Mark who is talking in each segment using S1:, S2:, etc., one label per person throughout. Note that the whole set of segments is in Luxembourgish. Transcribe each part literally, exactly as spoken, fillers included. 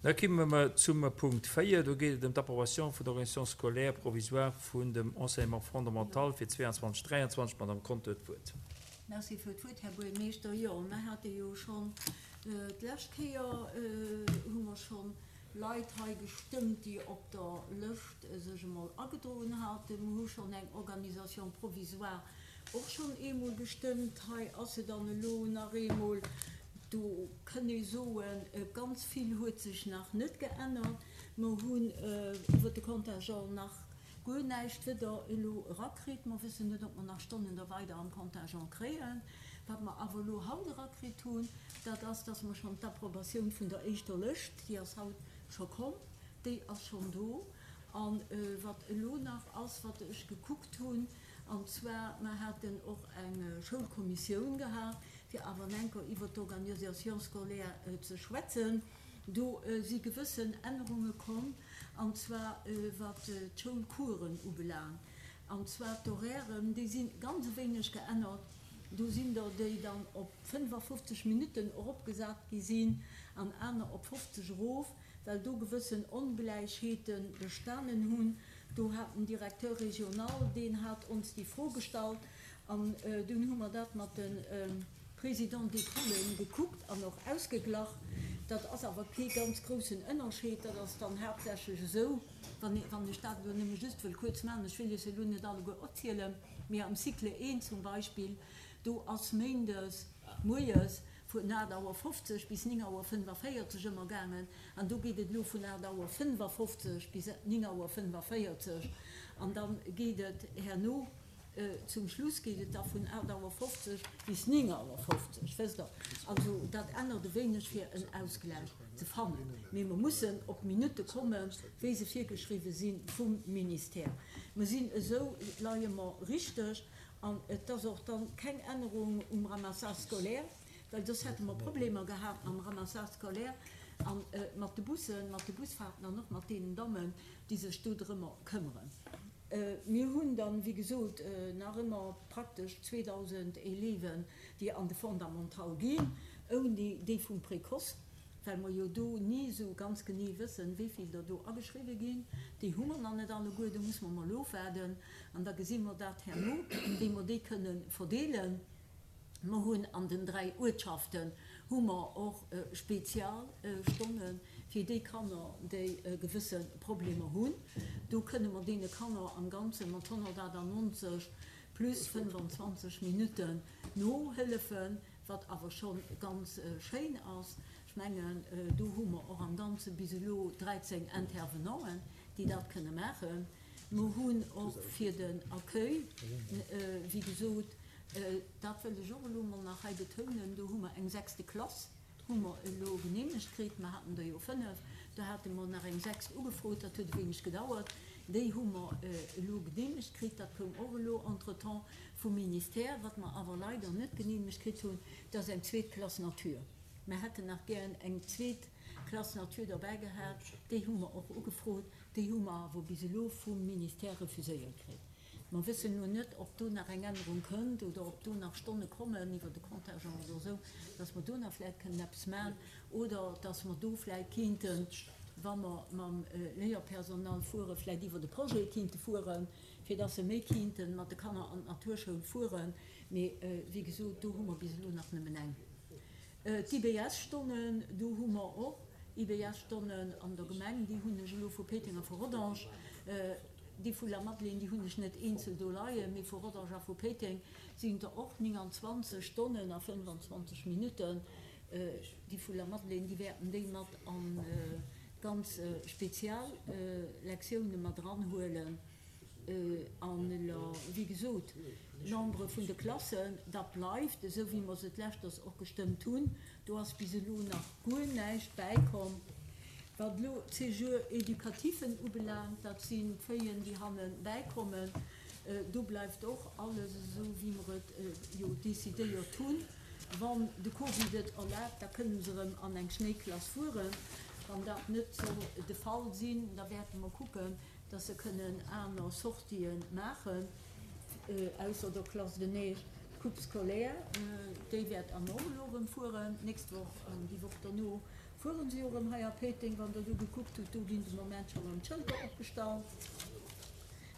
S1: Da komme mer zum Punkt véier. Do geet et ëm d'Approbation vun der Organisation scolaire provisoire vun dem Enseignement fondamental fir zwee an zwanzeg dräianzwanzeg. D'Madame Conter huet d'Wuert.
S2: Merci fir d'Wuert, Här Buergermeeschter. Jo, mer hate jo schonn d'lescht Kéier, hu mer schonn Leit hei gestëmmt, déi op der Lëscht sech emol agedroen haten. Mer hu schonn eng Organisation provisoire och schonn eemol gestëmmt. Hei ass se dann elo nach eemol. Do kënn ee soen, ganz vill huet sech nach net geännert. Mer hunn iwwer de Contingent nach guer näischt weder elo erakritt. Mer wëssen net, ob mer nach Stonnen da weider am Contingent kréien. Wat mer awer elo haut erakritt hunn, dat ass, dass mer schonn d'Approbatioun vun der éischter Lëscht, déi ass haut scho komm, déi ass schonn do. A wat elo nach ass, wat ech gekuckt hunn, an zwar, mer haten och eng Schoulkommissioun gehat, fir awer enker iwwer d'Organisation scolaire ze schwätzen. Do si gewëssen Ännerunge komm, an zwar wat d'Schoulcoursen ubelaangt. An zwar d'Horairen, déi si ganz e wéineg geännert. Do sinn der, déi dann op fënnefafofzeg Minutten eropgesat gi sinn an aner op fofzeg erof, well do gewëssen Ongläichheete bestanen hunn. Do hat den Directeur régional, deen hat ons déi Fro gestallt, an dunn hu mer dat mat de Présidents d'école gekuckt an och ausgeglach. Dat ass awer kee ganz groussen Ënnerscheed. Dat ass dann haaptsächlech esou, wann wann ech dat elo nëmme just wëll kuerz maachen, ech wëll iech se elo net alleguer opzielen, mee am Cycle eent zum Beispill, do ass méindes moies vun aacht Auer fofzeg bis néng Auer fënnefaféierzeg ëmmer gaangen, an do geet et elo vun aacht Auer fënnefafofzeg bis néng Auer fënnefaféierzeg, an da geet et herno, zum Schluss geet et da vun aacht Auer fofzeg bis néng Auer fofzeg, wësst Der. Also dat ännert e wéineg, fir en Ausgläich ze fannen, mee mer mussen op d'Minutte kommen, wéi se virgeschriwwe si vum Ministère. Mer sinn esou, leie mer richteg, an et ass och dann keng Ännerung um Ramassage scolaire, well soss hätte mer Problemer gehat mam Ramassage scolaire a mat de Bussen, mat de Busfahrten an och mat deenen Dammen, déi sech do drëmmer këmmeren. Mir hunn dann, wéi gesot, nach ëmmer praktesch zweedausend Élèven, déi an de Fondamental ginn, ouni déi vum Précoce, well mer jo do ni esou ganz genee wëssen, wéi vill der do ageschriwwe ginn. Déi hu mer nach net alleguer, do muss mer mol ofwaarden an da gesi mer dat herno, wéi mer déi kënne verdeelen. Mer hunn an den dräi Uertschaften hu mer och Spezialstonne fir déi Kanner, déi gewësse Problemer hunn. Do kënne mer deene Kanner am Ganze mat honnertachtannonzeg plus fënnfanzwanzeg Minutten nohëllefen, wat awer scho ganz schéin ass. Ech mengen, do hu mer och am Ganze bis elo dräizéng Intervenanten, déi dat kënne maachen. Mer hunn och fir den Accueil, wéi gesot, dat wëll ech och elo mol nach hei betounen, do hu mer eng sechste Klass, hu mer elo geneemegt kritt. Mer haten der jo fënnef, do hate mer nach eng sechst ugefrot, dat huet e wéineg gedauert. Déi hu mer elo geneemegt kritt, dat koum och elo entretemps vum Ministère. Wat mer awer leider net geneemegt kritt hunn, dat ass eng zweet Klass Nature. Mer hätten nach gären eng zweet Klass Nature derbäi gehat, déi hu mer och ugefrot, déi hu mer awer bis elo vum Ministère refuséiert kritt. Mer wëssen elo net, ob do nach eng Ännerung kënnt oder ob do nach Stonne kommen iwwer de Contingent oder esou, dass mer do nach vläicht kënnen eppes maachen oder dass mer do vläicht kéinten, wa mer mam Léierpersonal fueren, vläicht iwwer de Projet kéinte fueren, fir dass se méi kéinte mat de Kanner an d'Naturschoul fueren. Mee wéi gesot, do hu mer bis elo nach nëmmen eng. D'I B S-Stonnen, do hu mer och I B S-Stonnen an der Gemeng, déi hunn ech elo vu Péiteng a vu Rodange. Déi vu Lamadelaine, déi hunn ech net eenzel do leien, mee vu Rodange a vu Péiteng sinn der och nénganzwanzeg Stonnen a fënnefanzwanzeg Minutten. Déi vu Lamadelaine, déi wäerten déi mat an ganz spezial Lektioune mat eranhuelen. An elo, wéi gesot, d'Nombre vun de Klassen, dat bleift esou, wéi mer se d'leschters och gestëmmt hunn. Do ass bis elo nach guer näischt bäikomm. Wat elo d'Séjours éducatifen ubelaangt, dat sinn d'Feuillen, déi hanne bäikommen, do bleift och alles esou, wéi mer et jo decidéiert hunn. Wann de Covid et erlaabt, da kënne se erëm an eng Schnéiklass fueren. Wann dat net soll de Fall sinn, da wäerte mer kucken, dass se kënnen aner Sortië maachen, ausser der Classe de neige. D'Coupe scolaire, déi wäert an och elo erëm fueren, d'nächst Woch an déi Woch derno. fueren se jo erëm hei a Péiteng, wann Der do gekuckt hutt, do ginn de Moment scho erëm d'Schëlter opgestallt.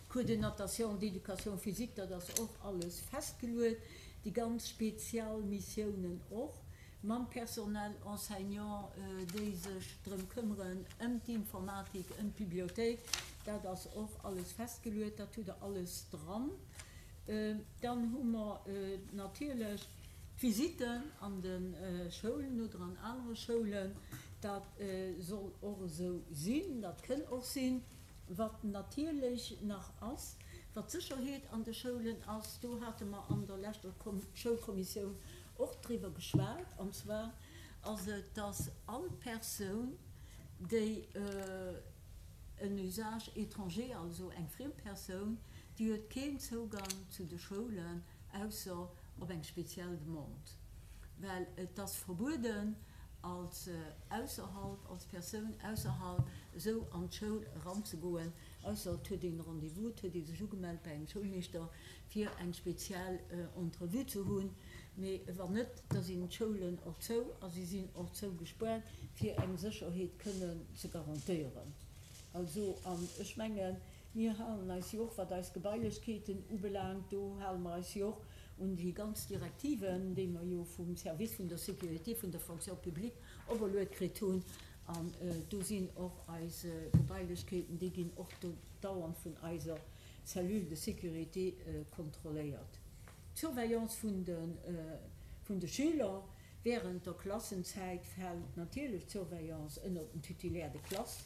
S2: Cours de natation, d'éducation physique, dat ass och alles festgeluet, déi ganz spezial Missiounen och, mam Personnel enseignant, déi sech drëm këmmeren, ëm d'Informatik, ëm d'Bibliothéik, dat ass och alles festgeluet, dat hutt Der alles dran. Dann hu mer natierlech d'Visitten an de Schoulen oder an anere Schoulen. Dat soll och esou sinn, dat kënn och sinn. Wat natierlech nach ass, wat d'Sécherheet an de Schoulen ass, do hate mer an der leschter Schoulkommissioun och driwwer geschwat, an zwar ass et, dass all Persoun, déi en Usage étranger, also eng friem Persoun, déi huet keen Zougang zu de Schoulen, ausser op eng speziell Demande, well et ass verbueden, als ausserhalb, als Persoun ausserhalb esou an d'Schoul eranzegoen, ausser et huet een e Rendez-vous, et huet ee sech ugemellt bei engem Schoulmeeschter, fir eng speziell Entrevue ze hunn. Mee wann net, da sinn d'Schoulen och zou a si sinn och zougespaart, fir eng Sécherheet kënnen ze garantéieren. Also, an ech mengen, mir halen eis jo och, wat eis Gebailechkeeten ubelaangt, do hale mer eis jo och un déi ganz Direktiven, déi mer jo vum Service vun der Sécurité vun der Fonction publique operluet kritt hunn. An do sinn och eis Gebailechkeeten, déi ginn och do dauernd vun eiser Cellule de sécurité kontrolléiert. D'Surveillance vun de, vun de Schüler während der Klassenzäit fält natierlech d'Surveillance ënnert den Titulaire de classe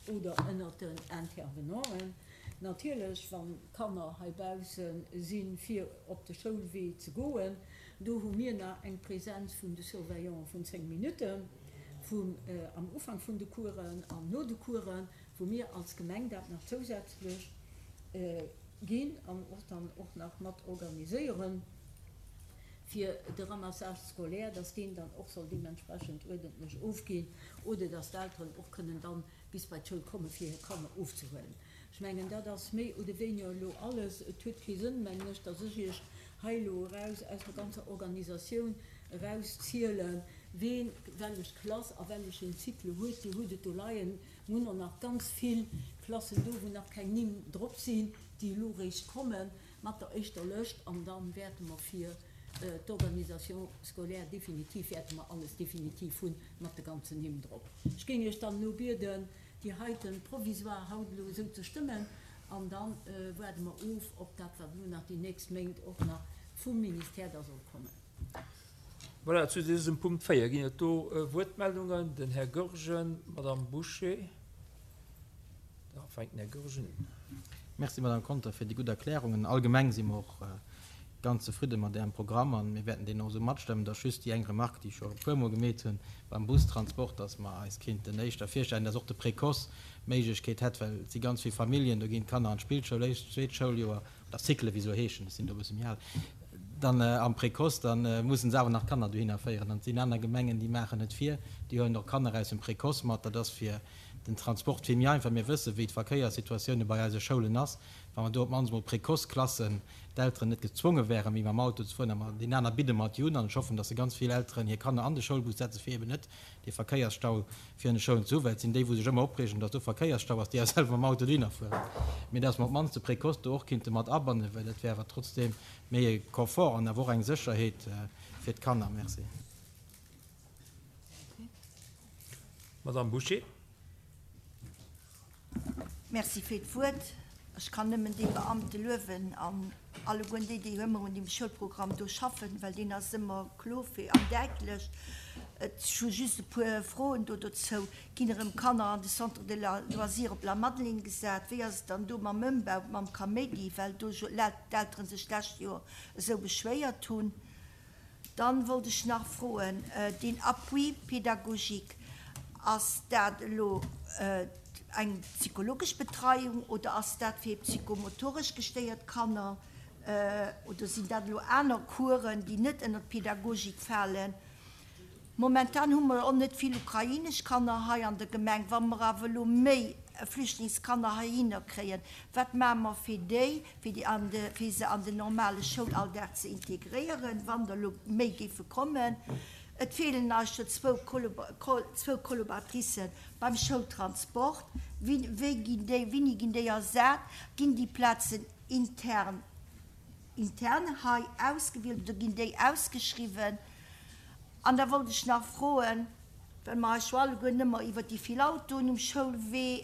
S2: oder ënnert den Intervenanten. Natierlech, wann d'Kanner heibausse sinn, fir op de Schoulwee ze goen, do hu mir nach eng Präsenz vun de Surveillanten vun zéng Minutten vum, am Ufank vun de Coursen an no de Coursen, wou mir als Gemeng dat nach zousätzlech ginn an och dann och nach mat organiséieren, fir de Ramassage scolaire, dass deen dann och soll deementsprechend uerdentlech ofginn oder dass d'Elteren och kënnen dann bis bei d'Schoul kommen, fir hir Kanner ofzehuelen. Ech mengen, dat ass méi oder wéiniger elo alles. Et huet kee Sënn, mengen ech, dass ech Iech hei elo eraus aus der ganzer Organisatioun erauszielen, ween wellech Klass a wellechen Cycle huet. Dir hutt et do leien. Mir hunn och nach ganz vill Klassen do, wou nach keng Nimm drop sinn, déi elo eréischt komme mat der éischter Lëscht. An da wäerte mer fir d'Organisation scolaire definitiv, wäerte mer alles definitiv hunn mat de ganzen Nimm drop. Ech géing Iech dann elo bieden, déi heiten provisoire haut elo esou ze stëmmen, an da waarde mer of op dat, wat elo nach déi nächst Méint och nach vum Ministère da soll kommen.
S1: Voilà, zu dësem Punkt véier ginn et do Wuertmeldungen. Den Här Goergen, d'Madame Bouché. Da fänkt den Här Goergen un.
S3: Merci, Madame Conter, fir déi gutt Erklärungen. Allgemeng si mer och ganz zefridde mat Ärem Programm an mir wäerten deen och esou matstëmmen. Et ass just déi eng Remarque, déi ech scho e puermol gemeet hunn beim Bustransport, dass mer eis kéinten éischter virstellen, dass och de Précoce d'Méiglechkeet hätt, well et si ganz vill Familljen, do ginn d'Kanner an d'Spillschoul, éischt, zweet Schouljoer, oder Cycle wéi se elo heeschen, ech sinn do e bësse méi al, dann am Précoce, da mussen se awer nach d'Kanner dohinner féieren. An et sinn aner Gemengen, déi maachen et vir, déi huelen och Kanner aus dem Précoce mat. Dat ass fir den Transport vill méi einfach. Mir wëssen, wéi d'Verkéierssituatioune bei eise Schoulen ass. Wa mer do op d'mannst emol Précoce-Klassen, d'Elteren net gezwonge wären, méi mam Auto ze fueren, a mer deen aner bidde mer et jo un, an ech hoffen, datt se ganz vill Elteren hir Kanner an de Schoulbus setzen, fir eben net dee Verkéiersstau virun de Schoulen ze hunn, well et sinn déi, wou sech ëmmer opreegen, datt do Verkéiersstau ass, déi awer selwer mam Auto dohinner fueren. Mee datt mer op d'mannst de Précoce do och kinnte mat abannen, well dat wär awer trotzdeem méi e Confort an awer och eng Sécherheet fir d'Kanner. Merci.
S1: Madame Bouché.
S4: Merci fir d'Wuert. Ech kann nëmmen déi Beamte luewen an allegueren déi, déi ëmmer un deem Schoulprogramm do schaffen, well deen ass ëmmer kloer fir an däitlech. Ech hu just e puer Froen do dozou. Ginn erëm Kanner an de Centre de loisirs op Lamadelaine gesat? Wéi ass et dann do mam Ëmbau, mam Kaméidi, well do d'Eltere sech d'lescht Joer esou beschwéiert hunn? Dann wollt ech nach froen, deen Appui pédagogique, ass dat elo eng psychologesch Betreiung oder ass dat fir psychomotoresch gestéiert Kanner oder sinn dat elo aner Coursen, déi net ënner d'Pädagogik falen? Momentan hu mer och net vill ukrainesch Kanner hei an der Gemeng. Wa mer awer elo méi Flüchtlingskanner heihinner kréien, wat maache mer fir déi, fir déi an de, fir se an den normale Schoulalldag ze integréieren, wann der elo méi géife kommen? Et feelen eis jo zwou zwou Collaboratricen beim Schoultransport. Wéi wéi ginn déi, wéini ginn déi ersat? Ginn déi Plazen intern intern hei ausgewielt oder ginn déi ausgeschriwwen? An da wollt ech nach froen, well mer eis jo alleguer ëmmer iwwer déi vill Autoen um Schoulwee,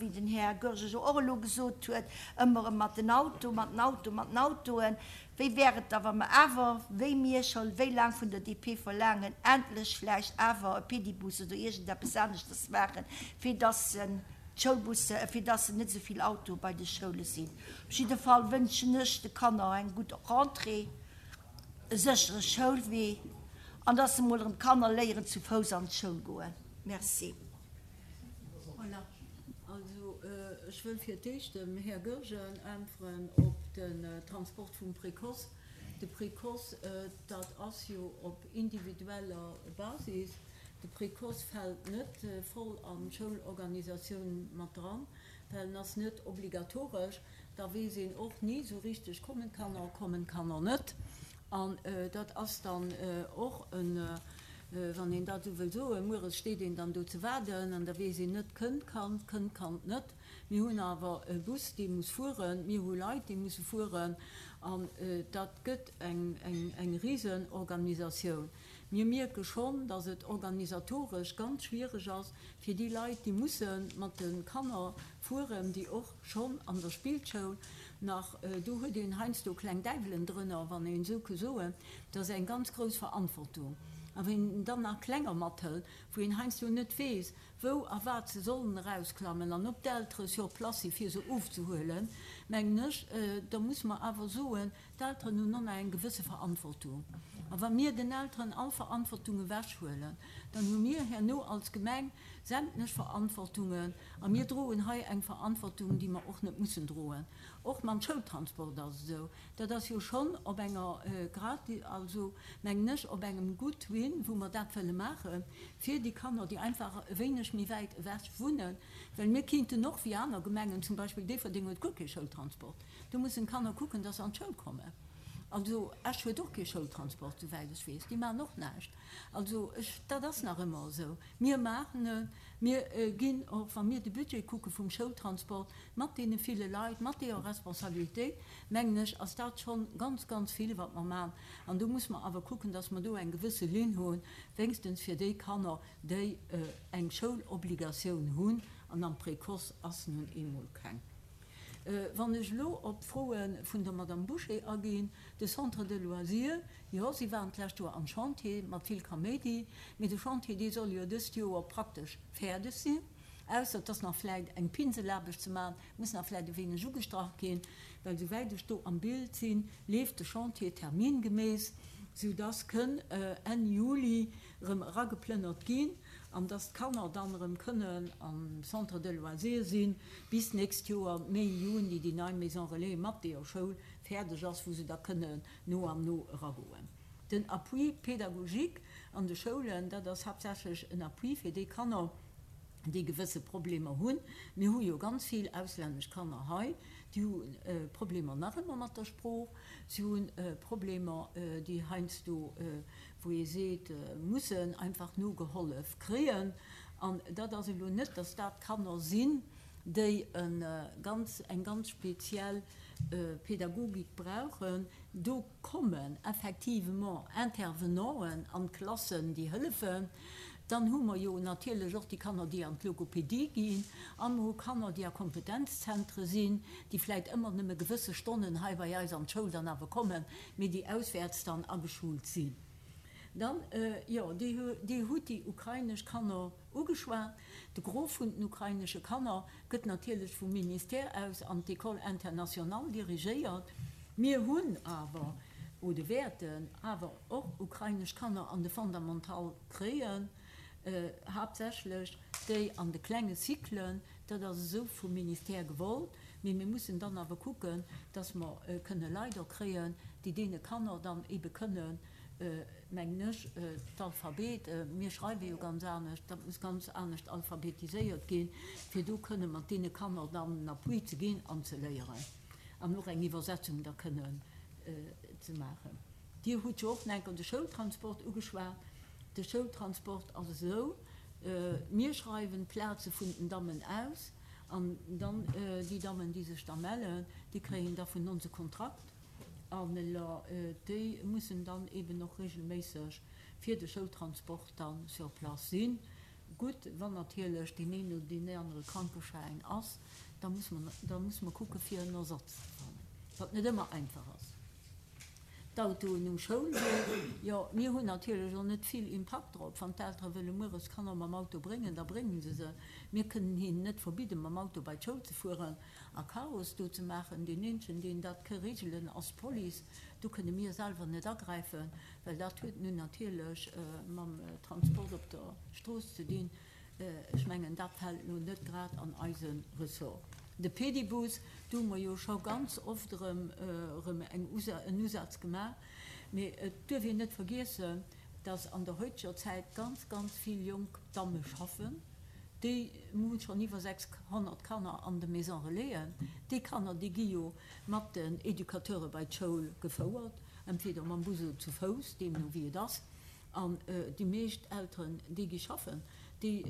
S4: wéi den Här Goergen jo och elo gesot huet, ëmmer erëm mat den Auto, mat den Auto, mat den Autoen, wéi wär et da, wa mer awer, wéi mir scho wéi laang vun der D P verlaangen, endlech vläicht awer e Pedibus oder iergendeppes aneschters maachen, fir dass d'Schoulbusse, fir dass net esou vill Autoe bei de Schoule sinn? Op jidde Fall wënschen ech de Kanner eng gutt Rentrée, e séchere Schoulwee an dass se mol erëm d'Kanner léieren zu Fouss an d'Schoul goen. Merci.
S2: Voilà. Also ech wëll fir d'éischt dem Här Goergen äntweren op den Transport vum Précoce. De Précoce, dat ass jo op individueller Basis. De Précoce fält net voll an d'Schoulorganisatioun mat dran, well en ass net obligatoresch. Da weess een och ni sou richteg, kommen d'Kanner, kommen d'Kanner net. An dat ass dann och en, wann een dat esou wëll soen, mueres steet een dann do ze waarden an da weess een net, kënnt d'Kand, kënnt d'Kand net. Mir hunn awer e Bus, dee muss fueren, mir hu Leit, déi musse fueren an dat gëtt eng, eng, eng Risenorganisatioun. Mir mierke schonn, datt et organisatoresch ganz schwiereg ass fir déi Leit, déi musse mat de Kanner fueren, déi och schonn an der Spillschoul nach, do huet een heiansdo kleng Däiwelen drënner, wann een esou ke soen, dat ass eng ganz grouss Verantwortung. A wann een dann nach Klenger mathëlt, wou een heiansdo net weess, wou a wat se sollen erausklammen an ob d'Eltere sur place si fir se ofzehuelen, mengen ech, da muss mer awer soen, d'Elteren hunn och nach eng gewësse Verantwortung. A wa mir den Elteren all Verantwortung ewechhuelen, dann hu mir herno als Gemeng sämtlech Verantwortungen a mir droen hei eng Verantwortung, déi mer och net mussen droen. Och mam Schoultransport ass et esou, dat ass jo schonn op enger grad, also mengen ech, op engem Goodwill, wou mer dat wëlle maache fir déi Kanner, déi einfach e wéineg méi wäit ewech wunnen, well mir kinnten och wéi aner Gemengen, zum Beispill Déifferdeng huet guer kee Schoultransport, do mussen d'Kanner kucken, dass se an d'Schoul kommen. Also Esch huet och kee Schoultransport, souwäit ech weess, déi maachen och näischt. Also ech, dat ass nach ëmmer esou. Mir maachen et, mir ginn och, wa mir de Budget kucke vum Schoultransport, mat deene ville Leit, mat deeër Responsabilitéit, mengen ech, ass dat schonn ganz, ganz vill, wat mer maachen. An do muss mer awer kucken, dass mer do eng gewësse Linn hunn, wéinstens fir déi Kanner, déi eng Schoulobligatioun hunn, an am Précoce ass nun eemol keng. Wann ech elo op d'Froe vun der Madame Bouché aginn, de Centre de loisirs, jo, si waren d'lescht Joer am Chantier mat vill Kaméidi, mee de Chantier, dee soll jo dëst Joer praktesch fäerdeg sinn, ausser et ass nach vläicht eng Pinselaarbecht ze maachen, muss nach vläicht e wéineg ugestrach ginn, well souwäit ech do am Bild sinn, leeft de Chantier termingemäss, soudass kënn Enn Juli erëm erageplënnert ginn an dass d'Kanner dann erëm kënnen am Centre de loisirs sinn, bis d'nächst Joer Mee, Juni déi nei Maison relais mat deeër Schoul fäerdeg ass, wou se da kënnen no an no eragoen. Den Appui pédagogique an de Schoulen, dat ass haaptsächlech en Appui fir déi Kanner, déi gewësse Problemer hunn. Mir hu jo ganz vill auslännesch Kanner hei, déi hu Problemer nach ëmmer mat der Sprooch, si hu Problemer, déi heiansdo, wou ee seet, mussen einfach nogehollef kréien. An dat ass elo net, dass dat Kanner sinn, déi e ganz, eng ganz speziell Pädagogik brauchen. Do kommen effectivement Intervenanten an d'Klassen, déi hëllefen. Dann hu mer jo natierlech och déi Kanner, déi an d'Logopedie ginn, a mer hu Kanner, déi a Kompetenzzentre sinn, déi vläicht ëmmer nëmme gewësse Stonnen hei bei eis an d'Schoul dann awer kommen, mee déi auswäerts dann ageschult sinn. Dann, jo, Dir hutt déi ukrainesch Kanner ugeschwat. De Gros vun den ukrainesche Kanner gëtt natierlech vum Ministère aus an d'École internationale dirigéiert. Mir hunn awer, oder wäerten awer och ukrainesch Kanner an de Fondamental kréien, haaptsächlech déi an de klenge Cyclen. Dat ass esou vum Ministère gewollt. Mee mir mussen dann awer kucken, dass mer kënne Leit och kréien, déi deene Kanner dann ebe kënnen, mengen ech, d'Alphabet, mir schreiwe jo ganz anescht, dat muss ganz anescht alphabetiséiert ginn, fir do kënne mat deene Kanner dann en Appui ze ginn an ze léieren an och eng Iwwersetzung da kënnen ze maachen. Dir hutt jo och nach eng Kéier de Schoultransport ugeschwat. De Schoultransport ass esou, mir schreiwen d'Plaze vun den Dammen aus an dann déi Dammen, déi sech da mellen, déi kréien da vun ons e Kontrakt an déi mussen dann eben och regelméisseg fir de Schoultransport dann sur place sinn. Gutt, wann natierlech deen een oder deen anere Krankeschäin ass, da muss mer, da muss mer kucke fir en Ersatz ze fannen, wat net ëmmer einfach ass. D'Autoen um Schoulwee, jo, mir hunn natierlech och net vill Impakt drop. Wann d'Eltere wëlle mueres d'Kanner mam Auto bréngen, da bréngen se se. Mir kënnen hinnen net verbidden, mam Auto bei d'Schoul ze fueren a Chaos do ze maachen. Deen eenzegen, deen dat ke regelen, ass d'Police. Do kënne mir selwer net agräifen, well dat huet nun natierlech mam Transport op der Strooss ze dinn. Ech mengen, dat fält lo net grad an eise Ressort. De Pedibus, do hu mer jo scho ganz oft erëm erëm eng en Usaz gemaach. Mee et duerf een net vergiessen, dass an der heuteger Zäit ganz, ganz vill jonk Damme schaffen. Déi hu schonn iwwer sechshonnert Kanner an de Maison Relaisen. Déi Kanner, déi gi jo mat den Educateure bei d'Schoul gefouert, entweder mam Bus oder zu Fouss, deemno wéi et ass. An déi meescht Elteren, déi gi schaffen, déi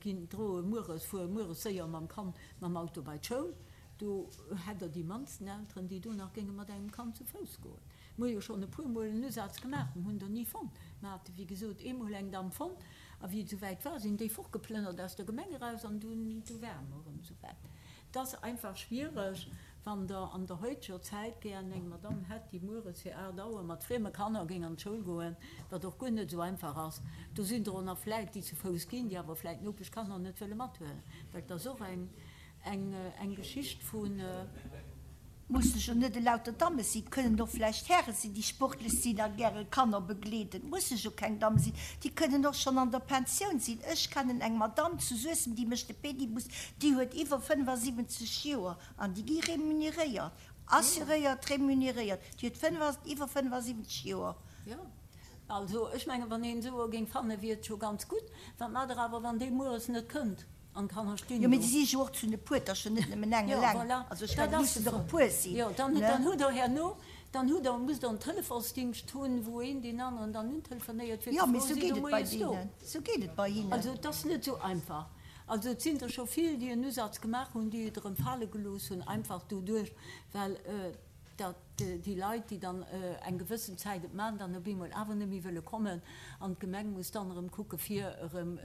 S2: ginn droe mueres, fuere mueres séier mam Kand mam Auto bei d'Schoul. Do hätt Der déi mannsten Elteren, déi do nach géinge mat engem Kand zu Fouss goen. Mir hu jo schonn e puermol en Usaz gemaach, mir hunn der ni fonnt. Mir hate wéi gesot eemol eng Damm fonnt, a wéi et esouwäit war, sinn déi fortgeplënnert aus der Gemeng eraus an dunn du ware mer erëm esouwäit. Et ass einfach schwiereg, wann Der an der heuteger Zäit gären eng Madamm hätt, déi mueres fir aacht Auer mat frieme Kanner géing an d'Schoul goen, wat och guer net esou einfach ass. Do sinn der och nach vläit, déi zu Fouss ginn, déi awer vläit d'Nopeschkanner net wëlle mathuelen, well et ass och eng, eng Geschicht vun.
S4: Musse jo net elauter Damme sinn, kënnen och vläicht Häre sinn, déi sportlech sinn a gäre Kanner begleeden. Musse jo keng Damme sinn, déi kënnen och schonn an der Pensioun sinn. Ech kennen eng Madamm zu Suessem, déi mécht de Pedibus, déi huet iwwer fënnefasiwwenzeg Joer an déi gi remuneréiert, assuréiert remuneréiert. Déi huet iwwer fënnefasiwwenzeg Joer.
S2: Jo, also ech mengen, wann een esou e géing fannen, wier et scho ganz gutt. Wat maacht Der awer, wann dee mueres net kënnt? An d'Kanner stinn
S4: Jo, mee
S2: do.
S4: déi si jo och zu ne puer, 't ass jo net nëmmen eng
S2: Jo,
S4: eleng.
S2: voilà,
S4: Also ech
S2: dat
S4: mengen, et
S2: ass
S4: mussen
S2: de
S4: der e
S2: Fall.
S4: puer sinn,
S2: Jo, dann,
S4: ne?
S2: dann hutt Der herno, dann hutt Der, musst Der en Telefonsdingscht hunn, wou een deen aneren dann untelefonéiert, fir
S4: Jo,
S2: ze
S4: mee
S2: froen,
S4: sou
S2: Sidd
S4: geet
S2: Der
S4: et bei
S2: moies do?
S4: deenen, sou geet et bei hinnen.
S2: Also et ass net esou einfach. Also et sinn der scho vill, déi en Usaz gemaach hunn, déi et erëm fale gelooss hunn, einfach doduerch, well datt déi Leit, déi dann eng gewëssen Zäit et maachen, dann op eemol awer net méi wëlle kommen an d'Gemeng muss dann erëm kucke fir erëm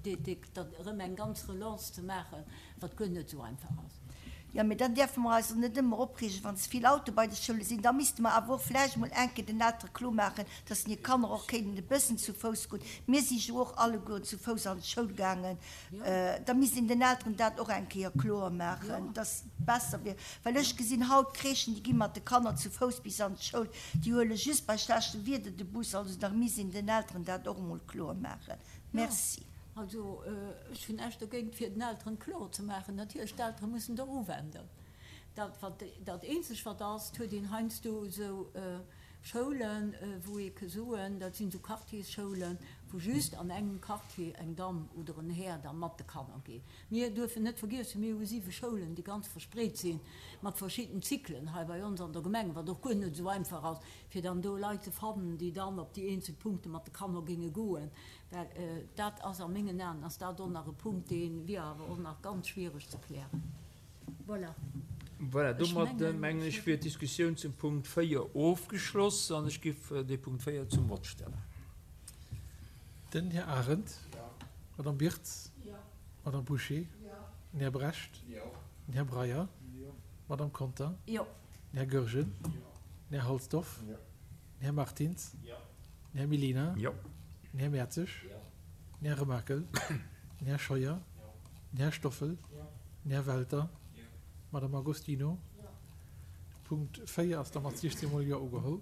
S2: erëm eng ganz Relance ze maachen, wat guer net esou einfach ass.
S4: Jo, mee dann däerfe mer eis och net ëmmer opreegen, wann ze vill Autoe bei de Schoule sinn. Da misste mer awer och vläicht emol eng Kéier den Eltere klomaachen, dass hir Kanner och kéinten e bëssen zu Fouss goen. Mir si jo och allegueren zu Fouss an d'Schoul gaangen. Da misst een den Elteren dat och eng Kéier kloer maachen, dass et besser wier. Well ech gesinn haut Crèchen, déi gi mat de Kanner zu Fouss bis an d'Schoul, déi huele just bei schlechtem Wieder de Bus. Also da misst een den Elteren dat och emol kloer maachen. Merci.
S2: Also ech hunn näischt dogéint, fir den Elteren kloer ze maachen. Natierlech, d'Eltere mussen et och uwenden. Dat, wat, dat eenzeg wat ass, et huet een heiansdo esou Schoulen, wou ee ke soen, dat sinn esou Quartiersschoulen, wou just an engem Quartier eng Damm oder en Här da mat de Kanner geet. Mir duerfen net vergiessen, mir hu siwe Schoulen, déi ganz verspreet sinn, mat verschidden Zyklen hei bei ons an der Gemeng, wat och guer net esou einfach ass, fir dann do Leit ze fannen, déi dann op déi eenzel Punkte mat de Kanner géinge goen. Well dat ass a mengen Aen ass dat och nach e Punkt, dee wier awer och nach ganz schwiereg ze klären. Voilà.
S1: Voilà,
S2: Ech
S1: domat
S2: mengen,
S1: mengen
S2: ech
S1: ech wier d'Diskussioun zum Punkt véier ofgeschloss an ech giff dee Punkt véier zum Vott stellen.
S5: Den Här Arendt. Madame Birtz. Madame Bouché. Den Här Brecht. Den Här Breyer. Madame Conter.
S2: Jo.
S5: Den Här Goergen. Den Här Halsdorf. Den Här Martins. Den Här Mellina.
S1: Jo.
S5: Den Här Mertzig. Den Här Remakel. Den Här Scheuer. Den Här Stoffel. Den Här Welter. Madame Agostino. Punkt véier ass da mat siechzéng mol Jo ugeholl.